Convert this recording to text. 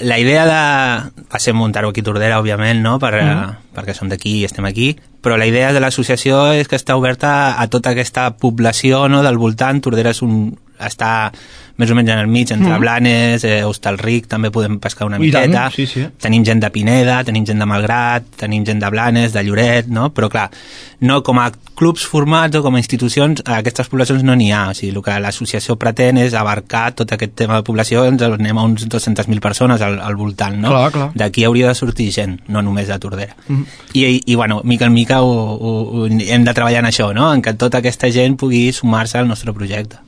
La idea va ser muntar-ho aquí a Tordera, òbviament, no? Perquè som d'aquí i estem aquí, però la idea de l'associació és que està oberta a tota aquesta població, no? Del voltant. Tordera està més o menys en el mig, entre Blanes, Hostalric, també podem pescar una miqueta. Sí. Tenim gent de Pineda, tenim gent de Malgrat, tenim gent de Blanes, de Lloret, no? Però clar, no com a clubs formats o com a institucions, a aquestes poblacions no n'hi ha. O sigui, el que l'associació pretén és abarcar tot aquest tema de població, ens anem a uns 200.000 persones al voltant, no? Clar. D'aquí hauria de sortir gent, no només de Tordera. I bueno, mica en mica hem de treballar en això, no? En que tota aquesta gent pugui sumar-se al nostre projecte.